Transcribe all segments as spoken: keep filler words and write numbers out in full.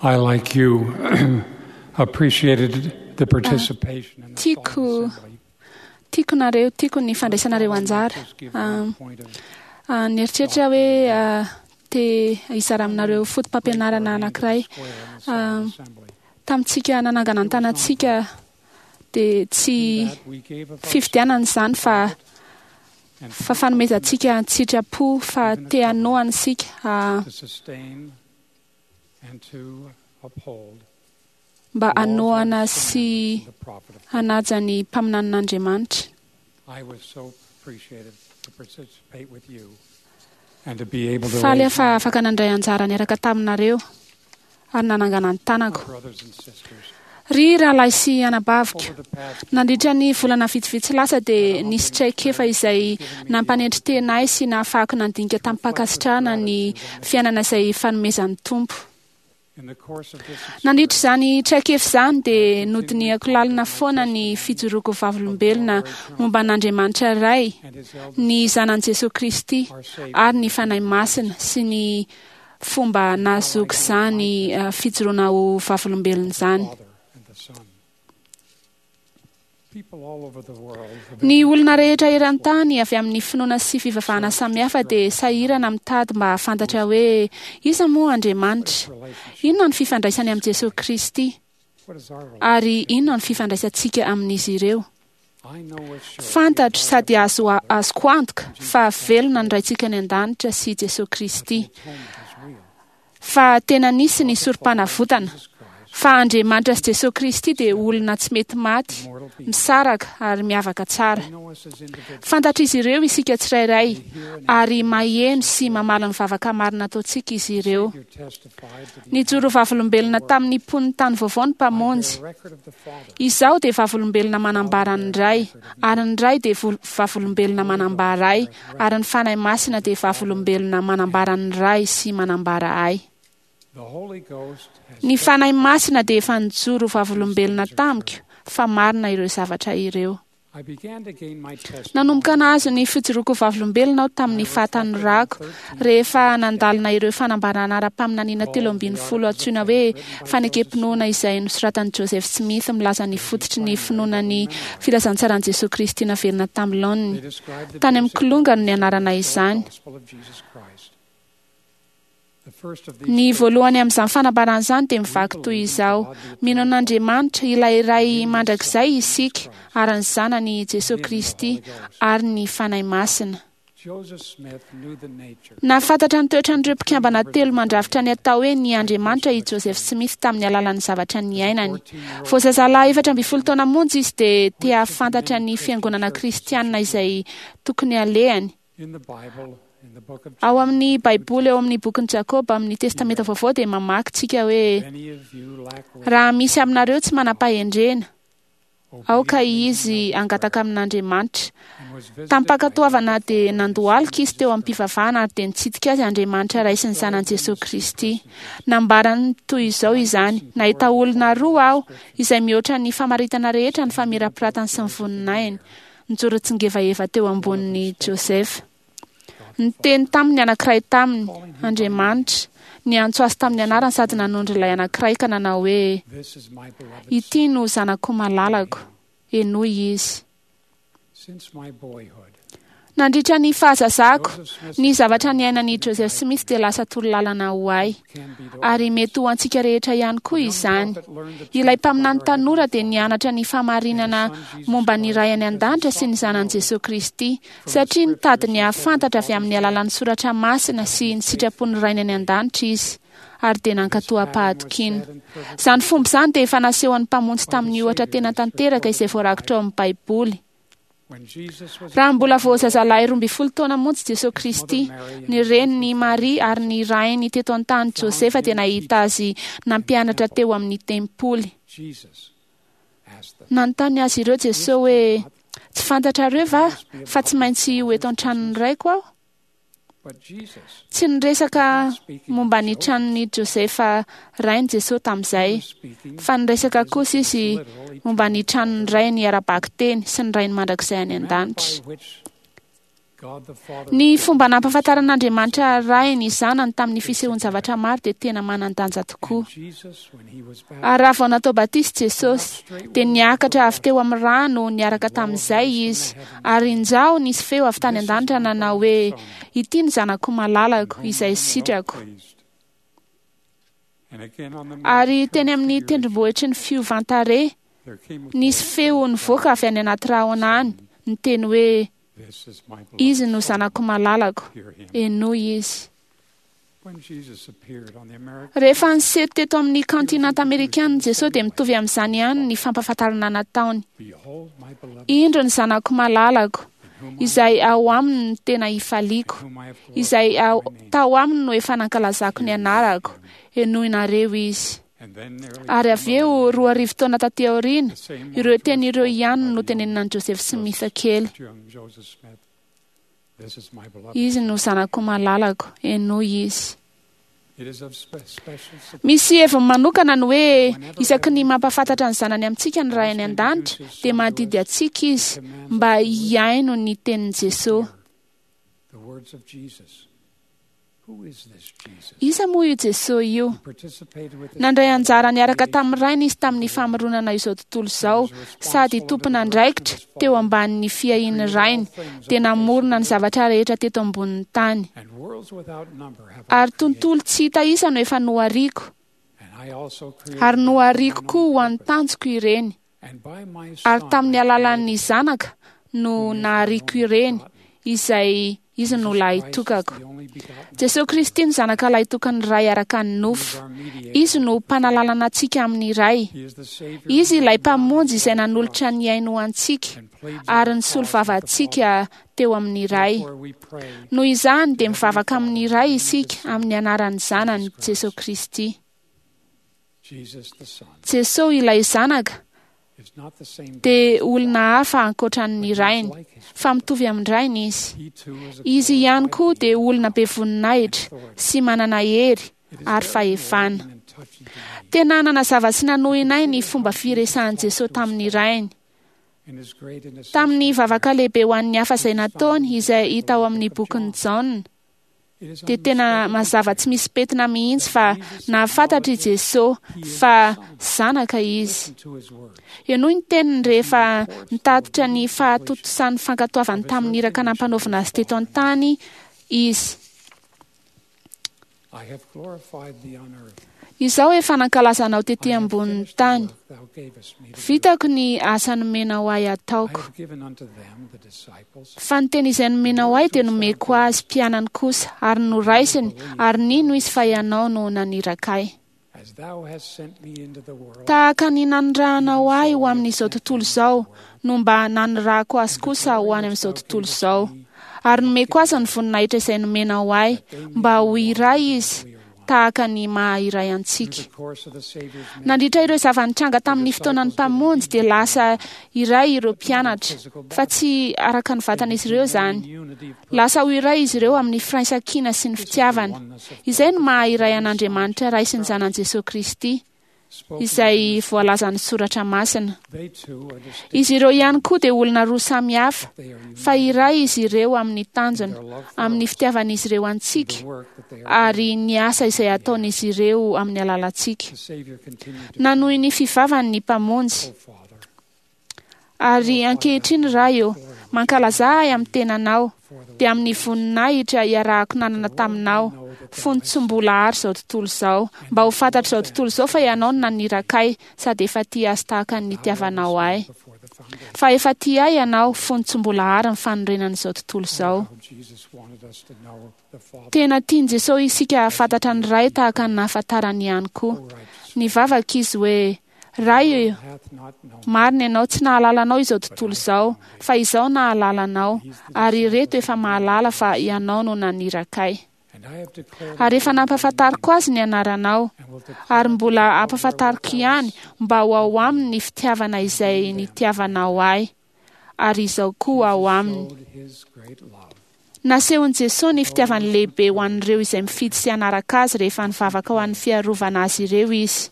I, like you, appreciated the participation in the Tiako solemn assembly. tiako nareo, tiako ny fandraisanareo anjara. Just give Ah, one point of ah, nieritreritra hoe ah, te hizara aminareo foto-pampianarana anankiray. square in the solemn assembly. Tamintsika nanangana ny tanantsika dia tsy In that we gave of ourselves fifidianana izany fa and fa fanomezantsika an-tsitrapo fa te hanohana isika ah, to sustain and to uphold mba the laws of hanohana the sy commandments of the prophet of God. hanaja ny mpaminanin'Andriamanitra. I was so appreciative to participate with you and to be able to Faly aho raise fa my afaka nandray anjara niaraka taminareo ary nanangana ny tanako. brothers and sisters. Ry rahalahy sy anabaviko, Over the past nandritra ny volana vitsivitsy lasa dia nisy traikefa izay nampanendry tena ahy sy nahafahako nandinika tamim-pankasitrahana ny fiainana izay fanomezan'ny Tompo. in the course of this Nandritra izany traikefa izany dia nodinihako lalina foana ny fijoroako vavolombelona momba an'Andriamanitra Ray, and his eldest ny zanan'i Jesoa Kristy our Savior, ary ny Fanahy Masina sy ny fomba nahazoako izany eh, fijoroana ho vavolombelona izany. Father and the Son. People all over the world have Ny olona rehetra eran-tany avy amin'ny finoana sy fivavahana samihafa dia sahirana mitady mba hahafantatra hoe iza moa Andriamanitra, relationship. inona ny fifandraisany amin'i Jesoa Kristy What is our relationship? ary inona ny fifandraisantsika amin'izy ireo. I know with surety Fantatro our sady Heavenly azo Father azoko antoka fa velona ny Raintsika any an-danitra sy Jesoa Kristy, that the atonement is real. fa tena nisy ny sorom-panavotana, Jesus Christ, fa Andriamanitra sy Jesoa Kristy dia olona tsy mety maty, mortal being. misaraka ary miavaka tsara. They know us as individuals. Fantatr'izy ireo isika tsirairay They hear and ary maheno sy mamaly ny vavaka marina ataontsika izy ireo. Savior testified to the Nijoro vavolombelona tamin'ny mponin'ny tany vaovao ny I Mpamonjy. bear record of the Father, Izaho dia vavolombelona manambara ny Ray, ary ny Ray dia vol- vavolombelona manambara ahy, ary ny Fanahy Masina dia vavolombelona manambara ny Ray sy manambara ahy. the Holy Ghost has Ny Fanahy Masina dia efa nijoro vavolombelona tamiko fa marina ireo zavatra ireo. I began to gain my testimony Nanomboka nahazo ny fijoroako vavolombelona aho tamin'ny fahatanorako rehefa nandalina ireo fanambarana ara-paminaniana telo ambin'ny folo antsoina hoe fanekem-pinoana izay nosoratan'i Joseph Smith milaza ny fototry ny finoana ny filazantsaran'i Jesoa Kristy naverina tamin'ny They laoniny. described the Tany amin'ny basic kilonga no nianarana of the izany. gospel of Jesus Christ. The first of these Ny statements voalohany amin'izany fanambarana izany dia mivaky toy izao: Mino an'Andriamanitra ilay Ray mandrakizay isika ary ny Zanany Jesoa Kristy ary ny Fanahy Masina. Joseph Smith knew the nature Nahafantatra ny toetran'ireo mpikambana telo mandrafitra ny atao hoe ny Andriamanitra i Joseph Smith tamin'ny alalan'ny zavatra niainany. Vao zazalahy efatra ambin'ny folo taona monja izy dia te hahafantatra ny fiangonana kristianina izay tokony alehany. in the Bible, in the book of Ao James. amin'ny Baiboly, ao amin'ny bokin'i Jakoba, amin'ny Testamenta Vaovao dia mamaky tsika hoe If any of you lack wisdom, raha misy aminareo tsy manam-pahendrena, aoka obediently izy hangataka amin'Andriamanitra. and was visited by Tamim-pankatoavana God the dia Father and nandohalika Son izy teo Jesus am-pivavahana ary dia nitsidika azy Andriamanitra Ray sy ny Zanany Jesoa Kristy. Nambarany toy izao izany: Nahita olona roa aho izay mihoatra ny famaritana rehetra ny famirapiratany sy ny voninahiny. Nijoro tsingevaheva teo ambonin'i Joseph. Niteny taminy anankiray taminy Andriamanitra, niantso azy tamin'ny anarany sady nanondro ilay anankiray ka nanao hoe: This is my beloved Ity no zanako malalako, henoy izy. son. Since my boyhood, Nandritra ny fahazazako, Joseph Smith ny zavatra niainan'i Joseph Smith dia lasa torolalana ho ahy, can be to ary mety ho antsika rehetra ihany koa young izany. prophet learned the Ilay truth mpaminany about our tanora Heavenly dia Father nianatra ny fahamarinana momba ny Ray any an-danitra sy ny Zanany Jesoa Kristy, satria nitady ny hahafantatra avy amin'ny alalan'ny soratra masina sy ny sitrapon'ny Rainy any an-danitra izy, ary dia nankatò am-pahatokiana. Izany fomba izany dia efa nasehon'ny Mpamonjy tamin'ny ohatra tena tanteraka izay voarakitra ao amin'ny Baiboly. When Jesus was Raha mbola vao zazalahy roa ambin'ny folo taona monja Jesoa Kristy, ny reniny Maria ary ny rainy teto an-tany Josefa dia nahita azy nampianatra teo amin'ny tempoly. Jesus asked them, Nanontany azy ireo Jesoa hoe: "Tsy fantatrareo va fa tsy maintsy ho eto an-tranon'ny raiko aho?" But Jesus Tsy niresaka momba ny tranon'i Josefa rainy Jesoa tamin'izay, was speaking fa niresaka kosa izy literally momba ny tranon'ny rainy ara-bakiteny sy ny rainy mandrakizay any the manner an-danitra. by which Ny fomba nampahafantaran'Andriamanitra Ray ny Zanany tamin'ny fisehoan-javatra maro dia tena manan-danja tokoa. Ary raha vao natao batisa Jesosy, dia niakatra avy teo amin'ny rano niaraka tamin'izay izy, ary injao nisy feo avy tany an-danitra nanao hoe: "Ity ny zanako malalako izay sitrako." Ary teny amin'ny tendrombohitry ny fiovan-tarehy, nisy feo nivoaka avy any anaty rahona any, niteny hoe: "Izy no zanako malalako, henoy izy." Rehefa niseho teto amin'ny kantinanta amerikana Jesosy dia mitovy amin'izany ihany ny fampahafantarana nataony. "Indro ny zanako malalako, izay ao aminy no tena ifaliako, izay ao, tao aminy no efa nankalazako ny anarako, henoinareo izy." Ary avy eo roa arivo taona taty aoriana, ireo teny ireo ihany no tenenina an'i Joseph Smith kely. "Izy no zanako malalako, henoy izy." Misy heviny manokana ny hoe isaky ny mampahafantatra ny zanany amintsika ny Ray any an-danitra dia mandidy antsika izy mba hihaino ny tenin'i Jesosy. Iza moa io Jesosy io? Nandray anjara niaraka tamin'ny Rainy izy tamin'ny famoronana izao tontolo izao, sady tompon'andraikitra teo ambanin'ny fiahian'ny Rainy, dia namorona ny zavatra rehetra teto ambonin'ny tany. Ary tontolo tsy hita isa no efa nohariko, ary nohariko koa ho an'ny tanjoko ireny. Ary tamin'ny alalan'ny zanaka no nahariko ireny, izay izy no lahitokako. Jesosy Kristy no zanaka lahitokan'ny Ray araka ny nofo. Izy no mpanalalana antsika amin'ny Ray. Izy ilay mpamonjy izay nanolotra ny ainy ho antsika ary nisolo vava antsika teo amin'ny Ray. Noho izany dia mivavaka amin'ny Ray isika amin'ny anaran'ny Zanany Jesosy Kristy. Jesosy ilay zanaka dia olona hafa ankoatran'ny Rainy, fa mitovy amin'ny Rainy izy. Izy ihany koa dia olona be voninahitra sy manana hery ary fahefana. Tena nanazava sy nanohina ahy ny fomba firesahan'i Jesosy tamin'ny Rainy. Tamin'ny vavaka lehibe ho an'ny hafa izay nataony, izay hita ao amin'ny bokin'i Jaona, dia tena mazava tsy misy pentina mihitsy fa nahafantatra i Jesosy fa zanaka izy. Henoy ny teniny rehefa nitatitra ny fahatontosan'ny fankatoavany tamin'ny iraka nampanaovina azy teto an-tany izy. "Izao efa nankalaza anao tety ambonin'ny tany. Vitako ny asa nomenao ahy ataoko. Fa ny teny izay nomenao ahy dia nomeko azy mpianany kosa, ary noraisiny, ary nino izy fa ianao no naniraka ahy. Tahaka ny nanirahanao ahy ho amin'izao tontolo izao, no mba nanirahako azy kosa ho any amin'izao tontolo izao. Ary nomeko azy ny voninahitra izay nomenao ahy, mba ho iray izy, tahaka ny maha iray antsika." Nandritra ireo zava-nitranga tamin'ny fotoanan'ny mpamonjy dia lasa iray ireo mpianatra, fa tsy araka ny vatan'izy ireo izany. Lasa ho iray izy ireo amin'ny firaisankina sy ny fitiavana. Izay no maha iray an'Andriamanitra Ray sy ny Zanany Jesosy Kristy, izay voalazan'ny Soratra Masina. Izy ireo ihany koa dia olona roa samy hafa, fa iray izy ireo amin'ny tanjona, amin'ny fitiavan'izy ireo antsika, ary ny asa izay ataon'izy ireo amin'ny alalantsika. Nanohy ny fivavany ny mpamonjy. "Ary ankehitriny Ray ô, mankalaza ahy amin'ny tenanao, dia amin'ny voninahitra iarahako nanana taminao, fony tsy mbola ary izao tontolo izao, mba ho fantatr'izao tontolo izao fa ianao no naniraka ahy, sady efa tia azy tahaka ny nitiavanao ahy. Fa efa tia ahy ianao fony tsy mbola ary ny fanorenan'izao tontolo izao." Tena tian'i Jesosy isika hahafantatra ny Ray tahaka ny nahafantarany ihany koa. Nivavaka izy hoe: "Ray, marina ianao, tsy nahalala anao izao tontolo izao, fa izaho nahalala anao, ary ireto efa mahalala fa ianao no naniraka ahy. Ary efa nampahafantariko azy ny anaranao, ary mbola hampahafantariko ihany mba ho ao aminy ny fitiavana izay nitiavanao ahy, ary izao koa ao aminy." Nasehon'i Jesosy ny fitiavany lehibe ho an'ireo izay mifidy sy hanaraka azy rehefa nivavaka ho an'ny fiarovana azy ireo izy.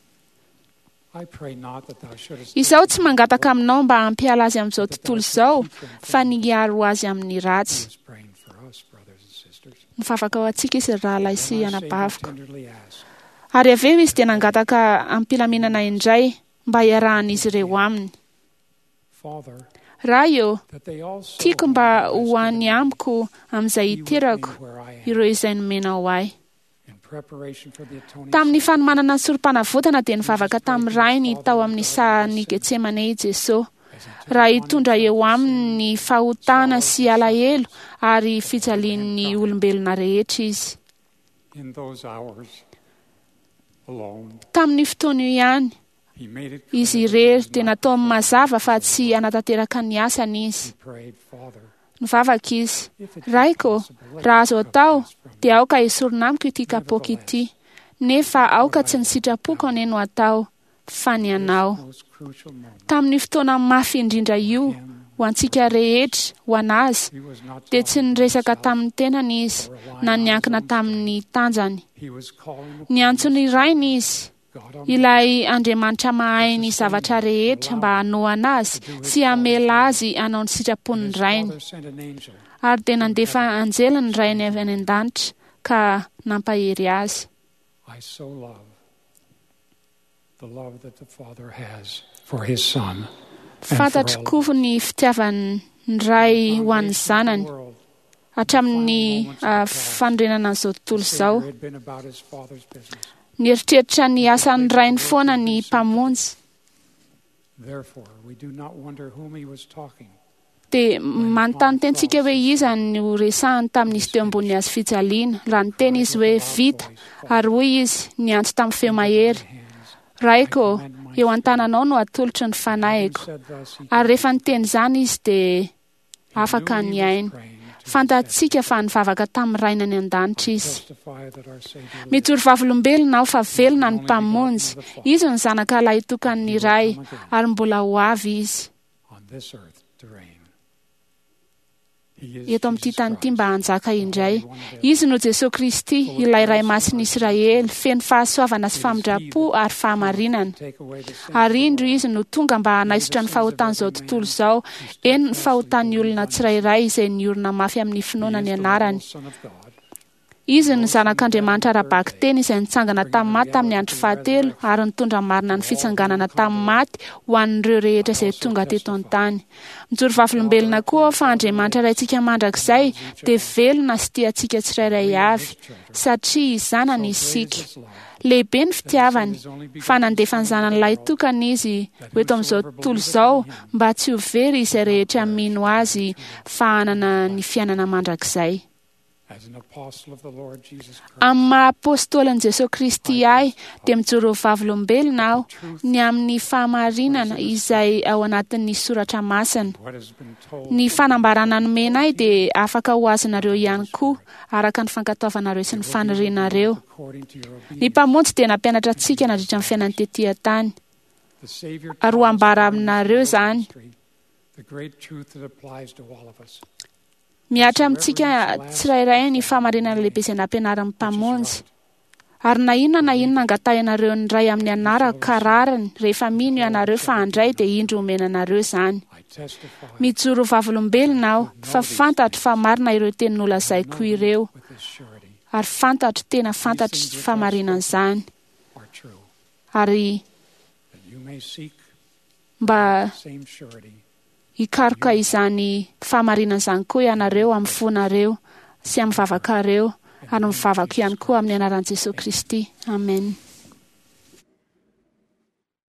"Izaho tsy mangataka aminao mba hampiala azy amin'izao tontolo izao, fa ny hiaro azy amin'ny ratsy. Mivavaka ho antsika izy ry rahalahy sy Then our anabaviko. Savior tenderly asked, Ary avy eo izy dia nangataka am-pilaminana indray mba hiarahan'izy ireo aminy. Father, Ray ô, that they also tiako whom mba thou ho hast any given me amiko amin'izay be with me hiterako where I am. ireo izay nomenao ahy. In preparation for the atoning Tamin'ny sacrifice, fanomanana ny sorom-panavotana dia nivavaka tamin'ny rainy tao amin'ny sahan'i Getsemane i Jesosy, as he took raha upon hitondra himself eo the aminy ny fahotana sy alahelo ary fijalian'ny olombelona rehetra izy. In those hours alone, Tamin'ny fotoana io ihany, he made it clear izy that he irery was dia not nataony performing mazava his fa will. tsy hanatanteraka ny asany izy. He prayed, Father, Nivavaka izy, if it be Raiko, possible, let raha this azo cup atao, pass from me. dia aoka esorina amiko ity kapoaka ity. Nefa aoka tsy ny sitrapoko anie no atao, fa ny This anao. most crucial moment, Tamin'ny fotoana mafy indrindra io, ho antsika rehetra, ho an'azy, he was not dia tsy talking to niresaka himself tamin'ny tenany izy, or relying na on his niankina own strength. tamin'ny tanjany. He was calling upon Niantso his ny rainy Father, izy, God Almighty, ilay Andriamanitra mahay ny zavatra rehetra mba hanohana azy sy hamela azy hanao ny And sitrapon'ny his rainy. Father sent an angel Ary dia nandefa anjely ny rainy avy any an-danitra ka nampahery azy. I so love the love that the Father has for his Son. and for Fantatro all koa of us. ny fitiavan'ny ray ho an'ny Foundation of the zanany world, hatramin'ny ah, fanorenana an'izao the tontolo izao. Savior had been about his Father's business. Nieritreritra ny asan'ny rainy foana ny mpamonjy. Therefore, we do not wonder whom he was talking. Dia manontany tentsika hoe iza no resahany tamin'izy teo ambony hazo fijaliana. Raha niteny izy hoe vita, ary hoy izy niantso tamin'ny feo mahery, Hands. Raiko, eo an-tananao no atolotro ny Having fanahiko. said thus, he Ary rehefa niteny izany izy dia He afaka knew ny he was ainy. praying to his Fantatsika fa nivavaka tamin'ny rainy any an-danitra Heavenly. izy. Testify that our Savior lives. Mijoro vavolombelona aho fa velona ny mpamonjy. Izy no zanaka lahitokan'ny ray ary mbola ho avy izy on this earth to reign. He is eto amin'ity Jesus tany ity Christ, mba hanjaka the indray. Holy One of Israel. Izy no Jesosy Kristy, ilay Ray Masin'ny Israely, feno fahasoavana sy famindram-po ary fahamarinana. Take away the sins of Ary the indro world. izy no tonga mba hanaisotra ny fahotan'izao tontolo izao, eny ny fahotan'ny olona tsirairay izay niorina mafy amin'ny He finoana is ny the anarany. literal Son of God, Izy no zanak'Andriamanitra ara-bakiteny izay nitsangana tamin'ny maty tamin'ny andro fahatelo ary nitondra marina ny fitsanganana tamin'ny maty ho an'ireo rehetra izay tonga teto an-tany. Mijoro vavolombelona koa aho fa Andriamanitra Raintsika mandrakizay dia velona sy tia antsika tsirairay avy, satria zanany So great is isika. his love Lehibe ny fitiavany fa nandefa ny zanany lahitokana izy ho eto amin'izao tontolo izao mba tsy ho very izay rehetra mino azy fa hanana ny fiainana mandrakizay. as an apostle of the Lord Jesus Christ. Amin'ny maha apôstôlin'i Jesosy Kristy ahy dia mijoro ho vavolombelona aho ny amin'ny fahamarinana izay ao anatin'ny soratra masina. What has been told Ny to me fanambarana nomena ahy dia afaka ho azonareo ihany koa araka ny fankatoavanareo sy ny will be fanirianareo. revealed according to your Ny obedience. mpamonjy dia nampianatra antsika nandritra ny fiainany tetỳ an-tany. The Savior Ary ho taught us ambara during his aminareo world izany. ministry the great truth that applies to all of us, Mihatra amintsika tsirairay ny fahamarinana lehibe izay nampianarin'ny which is mpamonjy. right. Ary na inona na inona angatahinareo ny ray amin'ny anarako ka rariny rehefa mino ianareo fa handray dia indro omena anareo izany. I testify Mijoro vavolombelona aho fa fantatro fa marina ireo teny nolazaiko know them ireo with this surety ary fantatro tena fantatro fahamarinan'izany are true, ary that you may seek mba the same surety hikaroka izany fahamarinan'izany koa ianareo amin'ny fonareo sy amin'ny vavakareo in ary the name of mivavako Jesus ihany koa amin'ny anaran'i Jesosy Kristy. Amen.